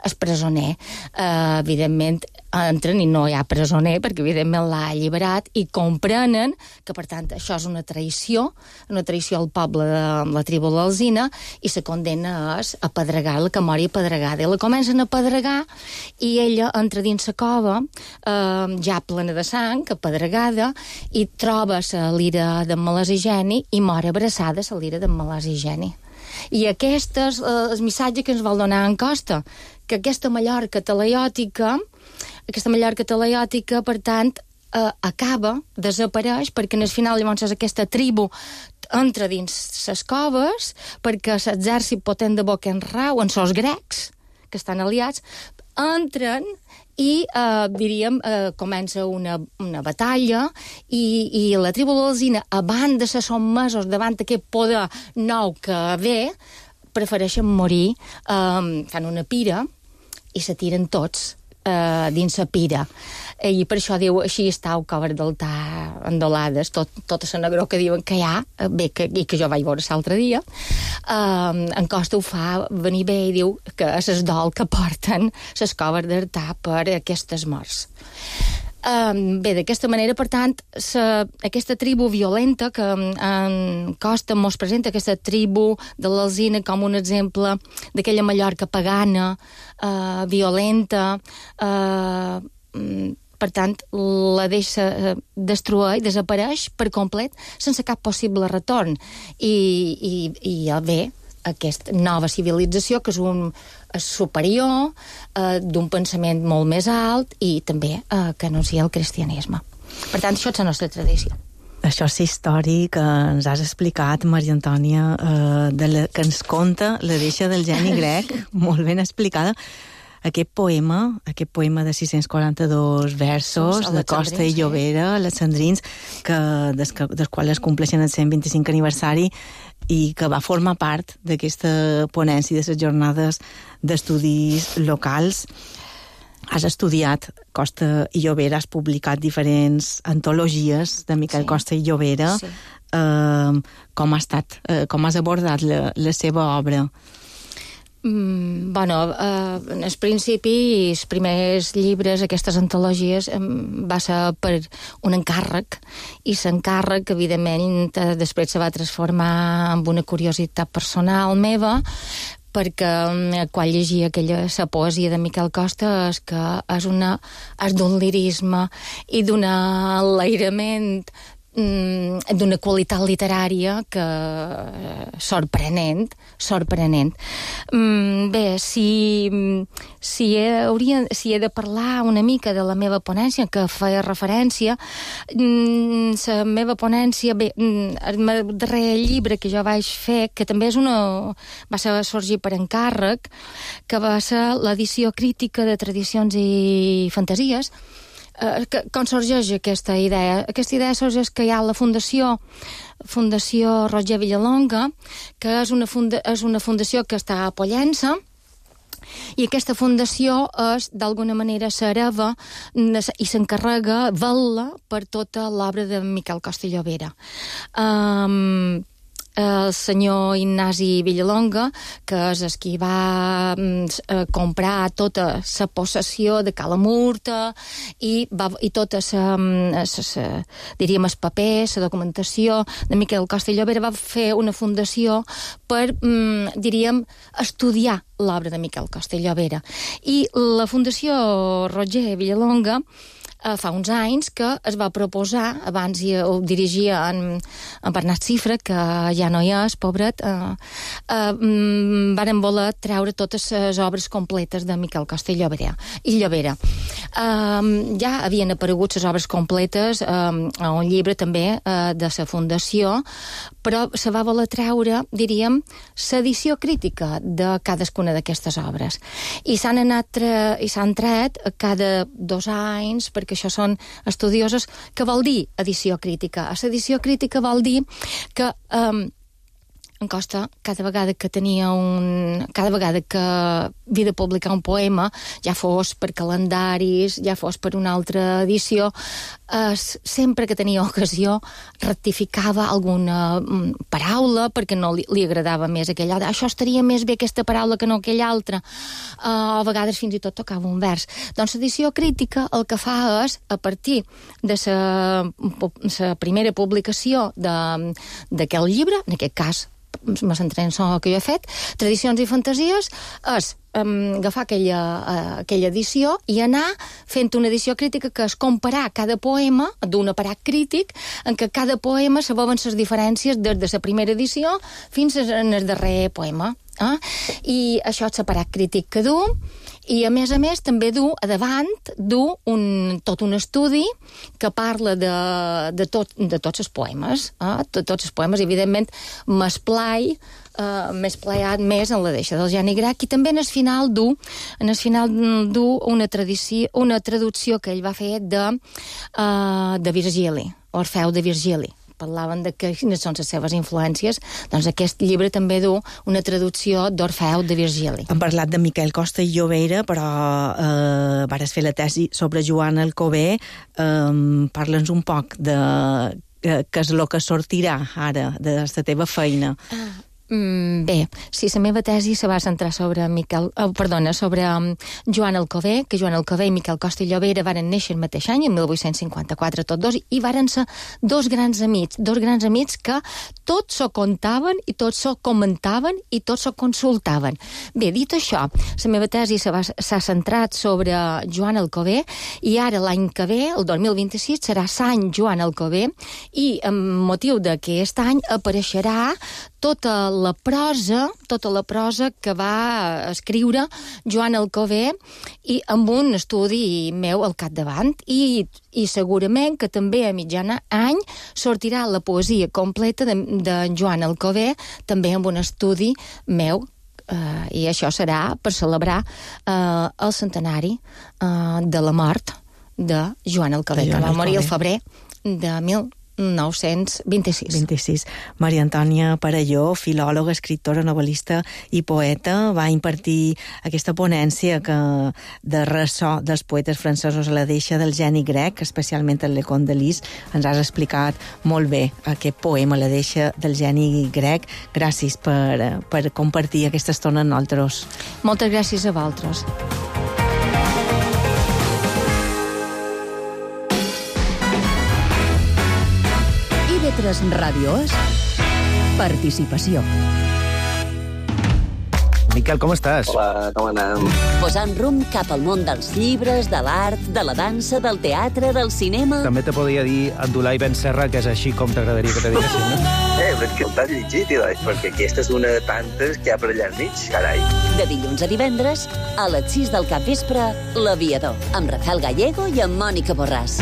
el presoner. Uh, evidentment, entren i no hi ha presoner, perquè evidentment l'ha alliberat, i comprenen que, per tant, això és una traïció, una traïció al poble de la tribu de l'Alzina, i se condena a apedregar, la que mori apedregada. I la comencen a apedregar, i ella entra dins la cova, uh, ja plena de sang, apedregada, i troba la lira de Melassigeni i mor abraçada la lira de Melassigeni. I aquest és eh, el missatge que ens vol donar en Costa, que aquesta Mallorca talaiòtica, aquesta Mallorca talaiòtica, per tant, eh, acaba, desapareix, perquè en el final llavors és aquesta tribu entra dins les coves, perquè l'exèrcit potent de Boquenrau, en sos grecs, que estan aliats, entren i, eh, diríem, eh, comença una, una batalla, i, i la tribu de l'Alzina, abans de ser sotmesos davant aquest poder nou que ve, prefereixen morir, eh, fan una pira, i se tiren tots eh, dins la pira. I per això diu, així està el cover d'altar endolades, tot, tota la negró que diuen que hi ha, bé, que, i que jo vaig veure l'altre dia. Um, en Costa ho fa venir bé i diu que és el dol que porten les coves d'altar per aquestes morts. Um, bé, d'aquesta manera, per tant, sa, aquesta tribu violenta que en Costa mos presenta, aquesta tribu de l'Alzina com un exemple d'aquella Mallorca pagana, uh, violenta, uh, per tant, la deixa destruir, desapareix per complet, sense cap possible retorn. I, i, i bé, aquesta nova civilització, que és un és superior, eh, d'un pensament molt més alt, i també eh, que anuncia el cristianisme. Per tant, això és la nostra tradició. Això és història que ens has explicat, Maria Antònia, eh, de la, que ens conta la deixa del geni grec, molt ben explicada. Aquest poema, aquest poema de sis-cents quaranta-dos versos, de Costa i Llobera, alexandrins, que, des, que, dels quals es compleixen el cent vint-i-cinc aniversari i que va formar part d'aquesta ponència de les jornades d'estudis locals. Has estudiat Costa i Llobera, has publicat diferents antologies de Miquel sí. Costa i Llobera. Sí. Uh, com ha estat, uh, com has abordat la, la seva obra? Mm, bueno, eh, en el principi, els primers llibres, aquestes antologies, eh, va ser per un encàrrec, i l'encàrrec, evidentment, eh, després se va transformar en una curiositat personal meva, perquè eh, quan llegia aquella la poesia de Miquel Costa és que és, una, és d'un lirisme i d'un enlairament d'una qualitat literària que sorprenent, sorprenent. Bé, si, si, he, hauria, si he de parlar una mica de la meva ponència, que feia referència, la meva ponència, bé, el darrer llibre que jo vaig fer, que també és una, va ser sorgir per encàrrec, que va ser l'edició crítica de tradicions i fantasies. Uh, que, com sorgeix aquesta idea? Aquesta idea sorgeix que hi ha la Fundació Fundació Roger Villalonga, que és una, funda, és una fundació que està a Pollença, i aquesta fundació és, d'alguna manera, s'hereva i s'encarrega, vetla per tota l'obra de Miquel Costa i Llobera. Um, el senyor Ignasi Villalonga, que és el qui va eh, comprar tota la possessió de Cala Murta i, va, i tota la, diríem, els papers, la documentació de Miquel Costa i Llobera, va fer una fundació per, mm, diríem, estudiar l'obra de Miquel Costa i Llobera. I la Fundació Roger Villalonga Uh, fa uns anys que es va proposar, abans hi, ho dirigia en, en Bernat Cifra, que ja no hi és, pobret, uh, uh, mm, varen voler treure totes les obres completes de Miquel Costa i Llobera. I Llobera. Uh, ja havien aparegut les obres completes uh, a un llibre també uh, de la Fundació, però se va voler treure, diríem, l'edició crítica de cadascuna d'aquestes obres. I s'han anat tre i s'han tret cada dos anys, perquè que això són estudiosos, que vol dir edició crítica. L'edició crítica vol dir que um, en Costa, cada vegada que tenia un... cada vegada que havia de publicar un poema, ja fos per calendaris, ja fos per una altra edició, eh, sempre que tenia ocasió rectificava alguna mm, paraula perquè no li, li agradava més aquella altra. Això estaria més bé aquesta paraula que no aquella altra. Eh, a vegades fins i tot tocava un vers. Doncs l'edició crítica el que fa és, a partir de la primera publicació d'aquell llibre, en aquest cas me centré en el que jo he fet, Tradicions i Fantasies, és um, agafar aquella, uh, aquella edició i anar fent una edició crítica que és comparar cada poema d'un aparat crític en què cada poema saboven les diferències des de la primera edició fins al darrer poema. Eh? I això és l'aparat crític que du, i a més a més també du a davant du un, tot un estudi que parla de, de, tot, de tots els poemes, eh? de tots els poemes, evidentment m'esplai Uh, més playat més en la deixa del geni grec, i també en el final du en el final du una, tradició, una traducció que ell va fer de, uh, de Virgili, Orfeu de Virgili. Parlaven de que, quines són les seves influències, doncs aquest llibre també du una traducció d'Orfeu de Virgili. Hem parlat de Miquel Costa i Llobera, però eh, vares fer la tesi sobre Joan Alcover. Eh, Parla'ns un poc de eh, què és el que sortirà ara de la teva feina. Ah. Mm, bé, sí, la meva tesi se va centrar sobre Miquel, oh, perdona, sobre um, Joan Alcover, que Joan Alcover i Miquel Costa i Llobera varen néixer el mateix any, en mil vuit-cents cinquanta-quatre, tots dos, i varen ser dos grans amics, dos grans amics que tots s'ho contaven i tots s'ho comentaven i tots s'ho consultaven. Bé, dit això, la meva tesi s'ha centrat sobre Joan Alcover, i ara l'any que ve, el dos mil vint-i-sis, serà Sant Joan Alcover, i amb motiu d'aquest any apareixerà tota la prosa, tota la prosa que va escriure Joan Alcover i amb un estudi meu al capdavant i, i segurament que també a mitjana any sortirà la poesia completa de, de Joan Alcover també amb un estudi meu Uh, i això serà per celebrar uh, el centenari uh, de la mort de Joan Alcover, que va morir el febrer de mil nou-cents vint-i-sis. vint-i-sis. Maria Antònia Parelló, filòloga, escriptora, novel·lista i poeta, va impartir aquesta ponència que, de ressò dels poetes francesos a la deixa del geni grec, especialment el Lecon de Lis. Ens has explicat molt bé aquest poema, la deixa del geni grec. Gràcies per, per compartir aquesta estona amb nosaltres. Moltes gràcies a vosaltres. I ve tres Ràdio és participació. Miquel, com estàs? Hola, com anem? Posant rumb cap al món dels llibres, de l'art, de la dansa, del teatre, del cinema... També te podria dir Abdulai Ben Serra, que és així com t'agradaria que te diguessin, no? Eh, perquè el t'has llegit, doncs, perquè aquesta és una de tantes que hi ha per allà al mig, carai. De dilluns a divendres, a les sis del capvespre, L'Aviador, amb Rafael Gallego i amb Mònica Borràs.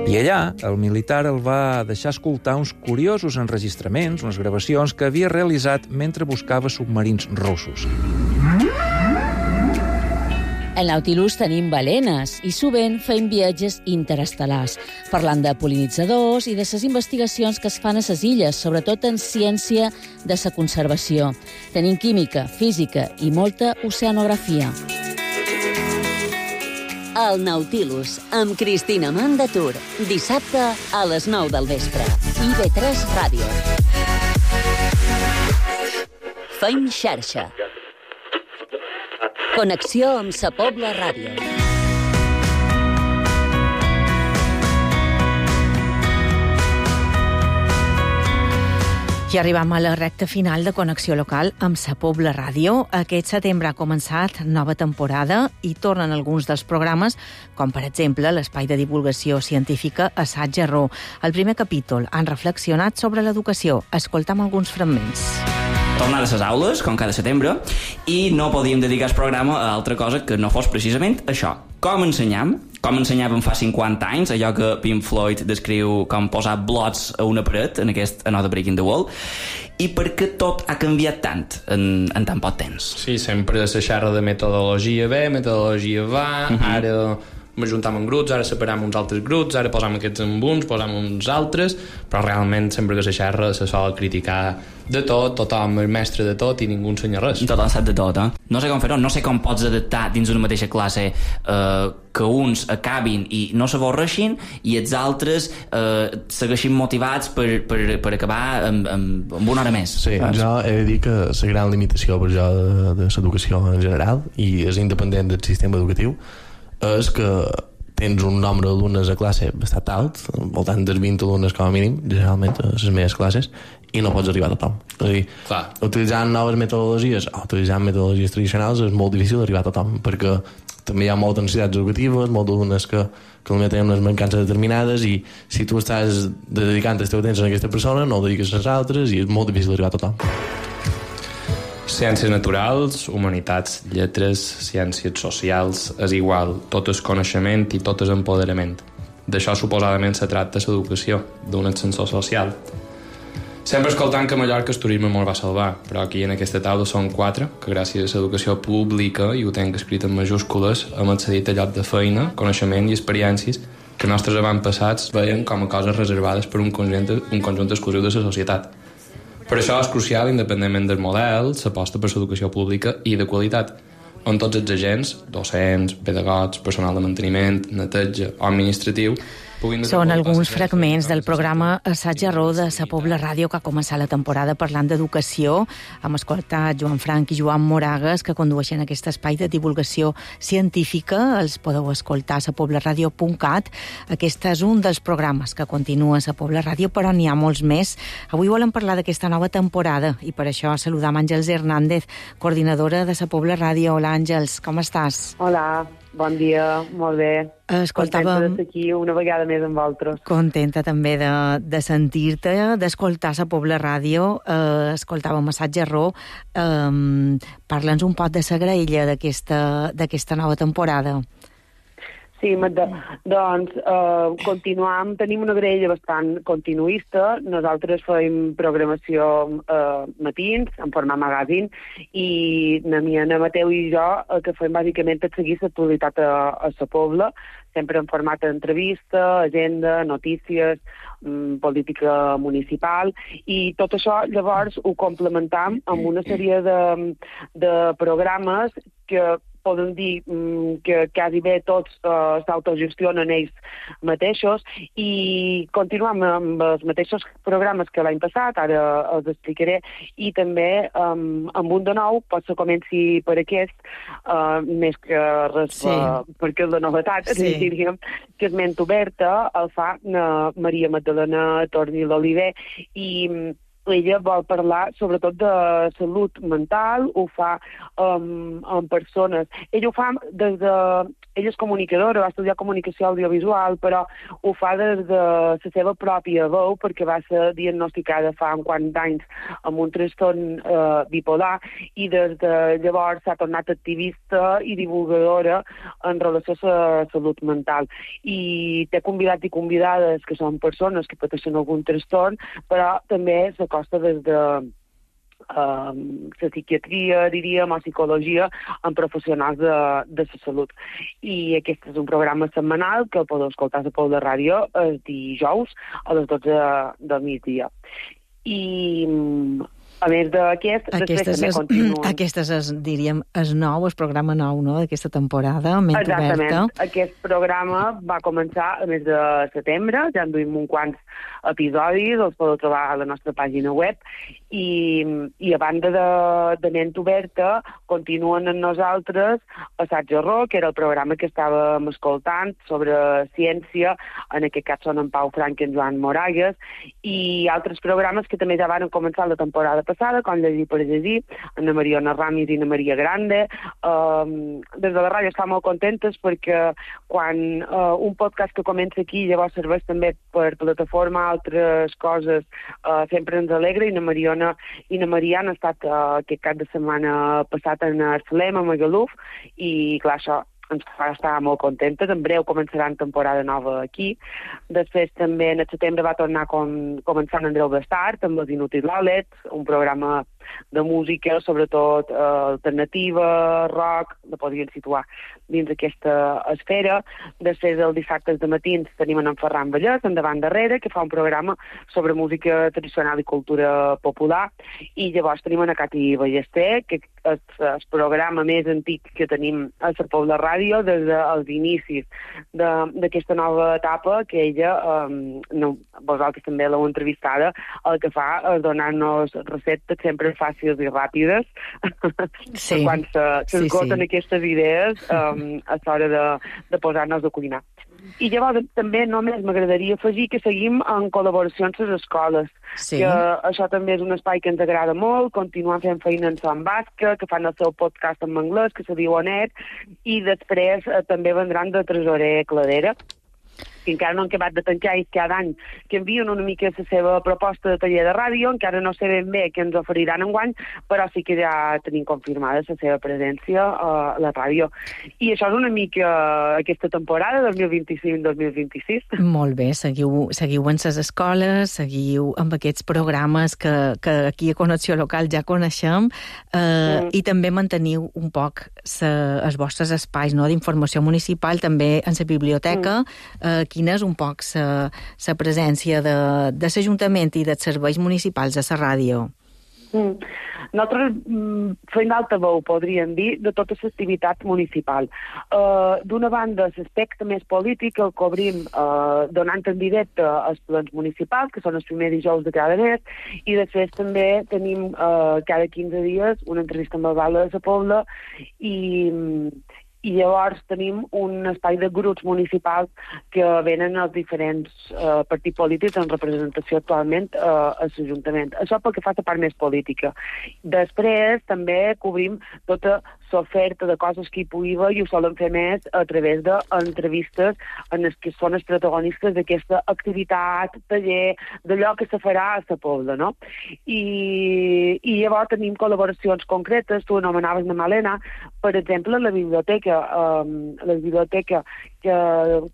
I allà, el militar el va deixar escoltar uns curiosos enregistraments, unes gravacions que havia realitzat mentre buscava submarins russos. Al Nautilus tenim balenes i sovint fem viatges interestel·lars, parlant de pol·linitzadors i de les investigacions que es fan a les illes, sobretot en ciència de la conservació. Tenim química, física i molta oceanografia. El Nautilus, amb Cristina Mandatur. Dissabte a les nou del vespre. I ve tres Ràdio. Feim xarxa. Connexió amb Sa Pobla Ràdio. I arribam a la recta final de Connexió Local amb Sa Pobla Ràdio. Aquest setembre ha començat nova temporada i tornen alguns dels programes, com per exemple l'espai de divulgació científica Assaig-Error. Al primer capítol han reflexionat sobre l'educació. Escoltam alguns fragments. Tornar a les aules, com cada setembre, i no podíem dedicar el programa a altra cosa que no fos precisament això. Com ensenyam, com ensenyàvem fa cinquanta anys, allò que Pink Floyd descriu com posar blots a una paret, en aquest Another Break in the Wall, i per què tot ha canviat tant en, en tan poc temps? Sí, sempre se xerra de metodologia ve, metodologia va, uh-huh. Ara m'ajuntam en grups, ara separam uns altres grups, ara posam aquests amb uns, posam uns altres, però realment sempre que se xerra se sol criticar de tot, tothom és mestre de tot i ningú ensenya res. Tothom sap de tot, eh? No sé com fer-ho, no sé com pots adaptar dins d'una mateixa classe eh, que uns acabin i no s'avorreixin i els altres eh, segueixin motivats per, per, per acabar amb, amb, amb una hora més. Sí, saps? Jo he de dir que la gran limitació per jo de, de l'educació en general i és independent del sistema educatiu és que tens un nombre d'alumnes a classe bastant alt, al voltant dels vint alumnes com a mínim, generalment a les meves classes, i no pots arribar a tothom. És a dir, clar, utilitzant noves metodologies o utilitzant metodologies tradicionals és molt difícil d'arribar a tothom, perquè també hi ha moltes necessitats educatives, molts alumnes que, que potser tenen unes mancances determinades i si tu estàs dedicant el teu temps a aquesta persona no ho dediques a les altres i és molt difícil d'arribar a tothom. Ciències naturals, humanitats, lletres, ciències socials, és igual, tot és coneixement i tot és empoderament. D'això suposadament se tracta l'educació, d'un ascensor social. Sempre escoltant que a Mallorca el turisme molt va salvar, però aquí en aquesta taula són quatre, que gràcies a l'educació pública, i ho tenc escrit en majúscules, hem accedit a lloc de feina, coneixement i experiències que nostres avantpassats veien com a coses reservades per un conjunt, un conjunt exclusiu de la societat. Per això és crucial, independentment del model, s'aposta per l'educació pública i de qualitat, on tots els agents, docents, pedagogs, personal de manteniment, neteja o administratiu, són alguns fragments del programa Assaig-Error de Sa Pobla Ràdio que ha començat la temporada parlant d'educació. Hem escoltat Joan Frank i Joan Moragues que condueixen aquest espai de divulgació científica. Els podeu escoltar a sa pobla ràdio punt cat. Aquest és un dels programes que continua a Sa Pobla Ràdio, però n'hi ha molts més. Avui volem parlar d'aquesta nova temporada i per això saludam Àngels Hernández, coordinadora de Sa Pobla Ràdio. Hola, Àngels, com estàs? Hola. Bon dia, molt bé. Escoltàvem... Contenta d'estar aquí una vegada més amb vosaltres. Contenta també de, de sentir-te, d'escoltar la Pobla Ràdio. Eh, escoltàvem a Assaig Erró. Eh, Parla'ns un poc de la graella d'aquesta nova temporada. Sí, Magda. Doncs eh, continuam, tenim una graella bastant continuista. Nosaltres fem programació eh, matins, en format magazine, i na mi, na Mateu i jo el que fem bàsicament és seguir l'actualitat a, a la Pobla, sempre en format d'entrevista, agenda, notícies, mm, política municipal, i tot això llavors ho complementam amb una sèrie de, de programes que podem dir que quasi bé tots uh, s'autogestionen ells mateixos, i continuem amb els mateixos programes que l'any passat, ara els explicaré, i també um, amb un de nou, potser comenci per aquest, uh, més que res sí. uh, perquè és la novetat, sí. diríem, que és ment oberta, el fa uh, Maria Magdalena Torni l'Oliver, i ella vol parlar sobretot de salut mental, ho fa um, amb persones. Ella ho fa des de... Ella és comunicadora, va estudiar comunicació audiovisual, però ho fa des de la seva pròpia veu, perquè va ser diagnosticada fa uns quants anys amb un trastorn eh, bipolar, i des de llavors s'ha tornat activista i divulgadora en relació a la salut mental. I té convidats i convidades que són persones que pateixen algun trastorn, però també s'acosta des de Uh, la psiquiatria, diríem, o psicologia, amb professionals de, de la salut. I aquest és un programa setmanal que el podeu escoltar a la Pobla Ràdio els dijous a les dotze del migdia. I a més d'aquest, després també continuen. Aquestes és, diríem, és nou, el programa nou, no?, d'aquesta temporada, Ment Exactament. Oberta. Aquest programa va començar a mes de setembre, ja en duim uns quants episodis, els podeu trobar a la nostra pàgina web, i, i a banda de, de Ment Oberta continuen amb nosaltres Assaig Error, que era el programa que estàvem escoltant sobre ciència, en aquest cas són en Pau Frank i en Joan Moragues, i altres programes que també ja van començar la temporada passada, com Llegir per Llegir, Ana Mariona Ramis i Ana Maria Grande. Um, des de la ràdio estem molt contentes perquè quan uh, un podcast que comença aquí llavors serveix també per plataforma altres coses, uh, sempre ens alegra, i Ana Mariona i Ana Maria han estat uh, aquest cap de setmana passat en Salem, a Magaluf, i clar, això ens fa estar molt contentes. En breu començaran temporada nova aquí. Després també en el setembre va tornar com, començant Andreu Bestart amb els Inutilòlets, un programa de música, sobretot eh, alternativa, rock, la podrien situar dins aquesta esfera. Després, els dissabtes de matins, tenim en Ferran Vallès, endavant darrere, que fa un programa sobre música tradicional i cultura popular, i llavors tenim en Cati Ballester, que és el programa més antic que tenim a la Pobla Ràdio des dels inicis d'aquesta nova etapa, que ella, um, no, vosaltres també l'heu entrevistada, el que fa és donar-nos receptes sempre fàcils i ràpides, sí. quan s'esgoten sí, sí. aquestes idees um, a l'hora de, de posar-nos a cuinar. I llavors també només m'agradaria afegir que seguim en col·laboracions a les escoles, sí. que això també és un espai que ens agrada molt, continuem fent feina en Son Basca, que fan el seu podcast en anglès, que se diu Onet, i després eh, també vendran de Tresorer Cladera, que encara no han acabat de tancar, i cada any que envien una mica la seva proposta de taller de ràdio, encara no sé ben bé què ens oferiran enguany, però sí que ja tenim confirmada la seva presència a la ràdio. I això és una mica aquesta temporada, dos mil vint-i-cinc dos mil vint-i-sis. Molt bé, seguiu, seguiu en les escoles, seguiu amb aquests programes que, que aquí a Connexió Local ja coneixem, eh, mm. i també manteniu un poc sa, els vostres espais, no?, d'informació municipal, també en la biblioteca. Mm. Eh, quina és un poc la presència de, de l'Ajuntament i dels serveis municipals a la ràdio? Mm. Nosaltres mm, fem d'altaveu, podríem dir, de tota l'activitat municipal. Uh, D'una banda, l'aspecte més polític el cobrim uh, donant en directe als plens municipals, que són els primers dijous de cada mes, i després també tenim uh, cada quinze dies una entrevista amb el Val de la Pobla, i... i llavors tenim un espai de grups municipals que venen els diferents eh, partits polítics en representació actualment eh, a l'Ajuntament. Això pel que fa a la part més política. Després també cobrim tota l'oferta de coses que hi pugui haver i ho solen fer més a través d'entrevistes en les que són els protagonistes d'aquesta activitat, taller, d'allò que se farà a la Pobla, no? I, i llavors tenim col·laboracions concretes, tu anomenaves la Malena, per exemple, la biblioteca, um, la biblioteca que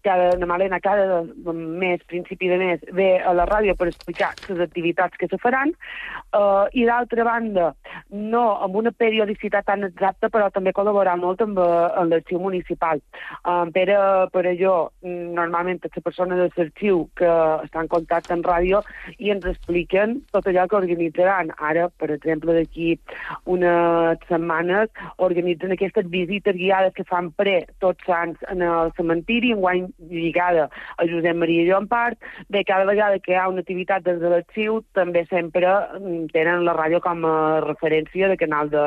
cada, la Malena cada mes, principi de mes, ve a la ràdio per explicar les activitats que se faran, uh, i d'altra banda, no amb una periodicitat tan exacta, però també col·laborar molt amb, amb l'arxiu municipal. Um, per, a, per a jo, normalment, és la persona de l'arxiu que està en contacte en ràdio i ens expliquen tot allò que organitzaran. Ara, per exemple, d'aquí unes setmanes, organitzen aquestes visites guiades que fan pre Tots Sants en el cementiri, enguany lligada a Josep Maria Llompart. Bé, cada vegada que hi ha una activitat des de l'arxiu, també sempre tenen la ràdio com a referència de canal de,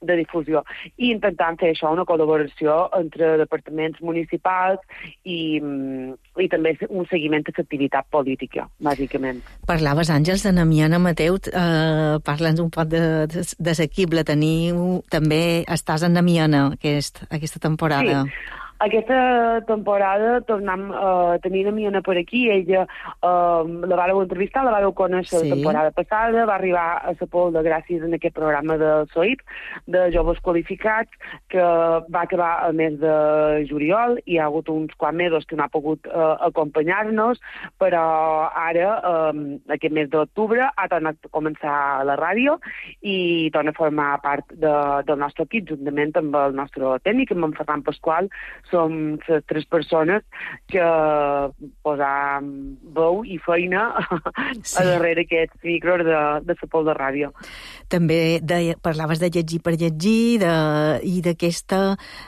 de difusió. I intentant fer això, una col·laboració entre departaments municipals i, i també un seguiment de l'activitat política, bàsicament. Parlaves, Àngels, de Namiana Mateu. Eh, Parla'ns un poc de, de, de l'equip. La teniu, també estàs en Namiana aquest, aquesta temporada. Sí. Aquesta temporada tornem a uh, tenir Namiana per aquí. Ella uh, la vàreu entrevistar, la vàreu conèixer sí. La temporada passada, va arribar a la Pobla gràcies a aquest programa de S O I P, de joves qualificats, que va acabar el mes de juliol. Hi ha hagut uns quants mesos que no ha pogut uh, acompanyar-nos, però ara, um, aquest mes d'octubre, ha tornat a començar a la ràdio i torna a formar part de, del nostre equip, juntament amb el nostre tècnic, amb en Ferran Pasqual. Som les tres persones que posam veu i feina sí. a darrere aquests micros de, de la Pobla Ràdio. També de, parlaves de llegir per llegir de, i d'aquesta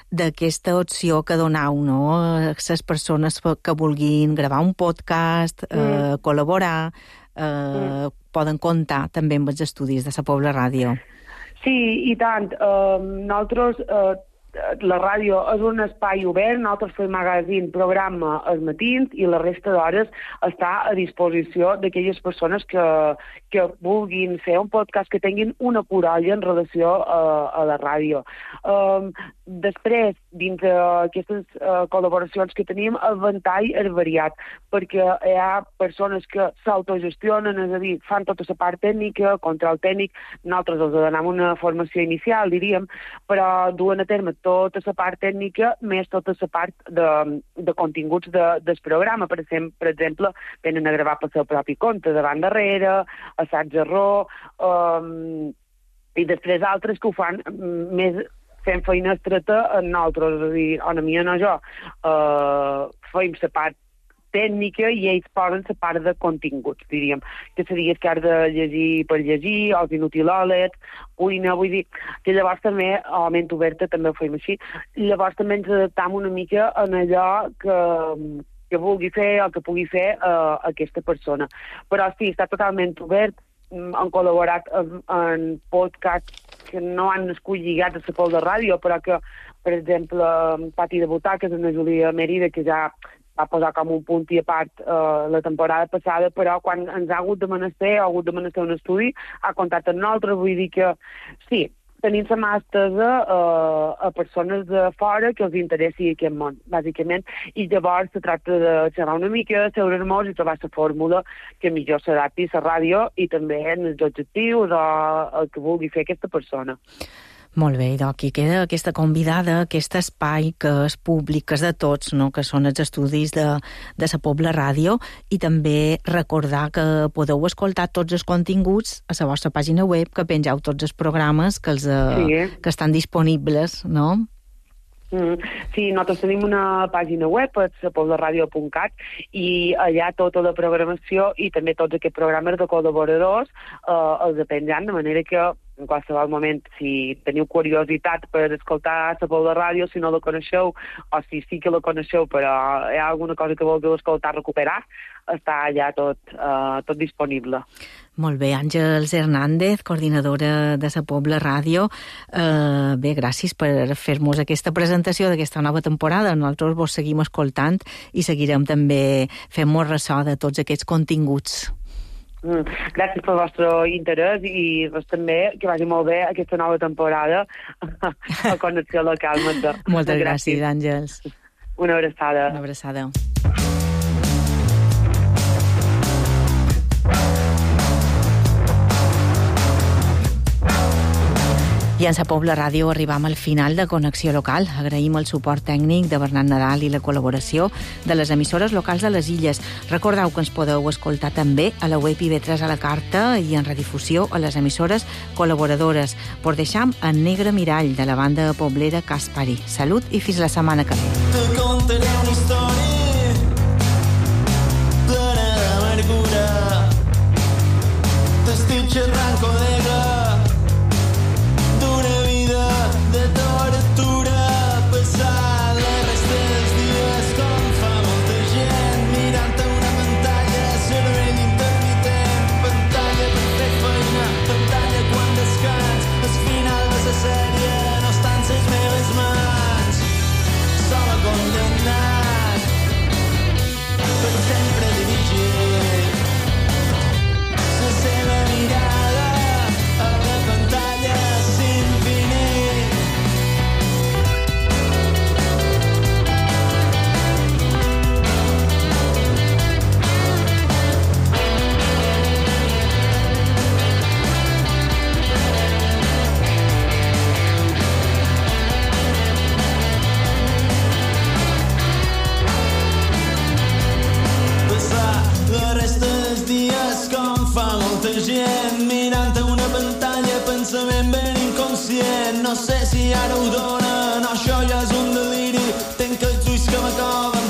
d'aquesta opció que donau, no? Les persones que vulguin gravar un podcast, mm. eh, col·laborar, eh, mm. poden comptar també amb els estudis de la Pobla Ràdio. Sí, i tant. Uh, nosaltres... Uh, la ràdio és un espai obert, nosaltres fem magazín, programa als matins i la resta d'hores està a disposició d'aquelles persones que, que vulguin fer un podcast, que tinguin una corolla en relació a, a la ràdio. Um, després, dins d'aquestes uh, col·laboracions que tenim, el ventall és variat, perquè hi ha persones que s'autogestionen, és a dir, fan tota la part tècnica, control tècnic, nosaltres els donem una formació inicial, diríem, però duen a terme tota la part tècnica, més tota la part de, de continguts de, del programa. Per exemple, per exemple, venen a gravar pel seu propi compte, davant darrere, assaig-error, um, i després altres que ho fan més fent feina estreta en nosaltres, és a dir, a mi no jo, uh, feim la part tècnica i ells posen la part de continguts, diríem, que seria que has de llegir per llegir, els inutilòlets, cuina, vull dir, que llavors també, a la ment oberta també ho fem així, llavors també ens adaptam una mica en allò que, que vulgui fer o que pugui fer uh, aquesta persona. Però sí, està totalment obert, han col·laborat en, en podcasts que no han nascut lligats a la Pobla Ràdio, però que, per exemple, Pati de Butaques, en la Júlia Mèrida, que ja va posar com un punt i a part uh, la temporada passada, però quan ens ha hagut de menester, ha hagut de menester un estudi, ha comptat amb nosaltres, vull dir que sí, tenim la mà estesa uh, a persones de fora que els interessi aquest món, bàsicament, i llavors se tracta de xerrar una mica, seure-nos i trobar la fórmula que millor s'adapti a la ràdio i també en els objectius o el que vulgui fer aquesta persona. Molt bé, i aquí queda aquesta convidada, aquest espai que és públic, que és de tots, no? Que són els estudis de, de la Pobla Ràdio, i també recordar que podeu escoltar tots els continguts a la vostra pàgina web, que pengeu tots els programes que, els, sí. que estan disponibles, no? Mm. Sí, nosaltres tenim una pàgina web, la pobla ràdio punt cat, i allà tota la programació i també tots aquests programes de col·laboradors eh, els penjant, de manera que en qualsevol moment, si teniu curiositat per escoltar la Pobla Ràdio, si no la coneixeu, o si sí que la coneixeu, però hi ha alguna cosa que vulgueu escoltar, recuperar, està allà tot, uh, tot disponible. Molt bé, Àngels Hernández, coordinadora de la Pobla Ràdio. Uh, bé, gràcies per fer-nos aquesta presentació d'aquesta nova temporada. Nosaltres vos seguim escoltant i seguirem també fent-nos ressò de tots aquests continguts. Mm, gràcies pel vostre interès i doncs, també que vagi molt bé aquesta nova temporada a Connexió Local. Magda. Moltes gràcies, gràcies, Àngels. Una abraçada. Una abraçada. I en Sa Pobla Ràdio arribam al final de Connexió Local. Agraïm el suport tècnic de Bernat Nadal i la col·laboració de les emissores locals de les illes. Recordeu que ens podeu escoltar també a la web I V tres a la carta i en redifusió a les emissores col·laboradores. Por deixam en Negre Mirall, de la banda poblera Caspari. Salut i fins la setmana que ve. Te contaré una història plena d'amargura. T'estic xerrant, col·lega, d'una vida de tortura, passar la resta dels dies com fa molta gent, mirant a una pantalla, cervell intermitent, pantalla per fer feina, pantalla quan descans, el final de la sèrie no està en ses meves mans, sola condemnat, per sempre dirigir la seva mirada a la pantalla sin finir. Passar la resta dels dies com fa molta gent, mirant a una pantalla, pensament ben inconscient. No sé si ara ho donen, això ja és un deliri. Tenc els ulls que m'acoven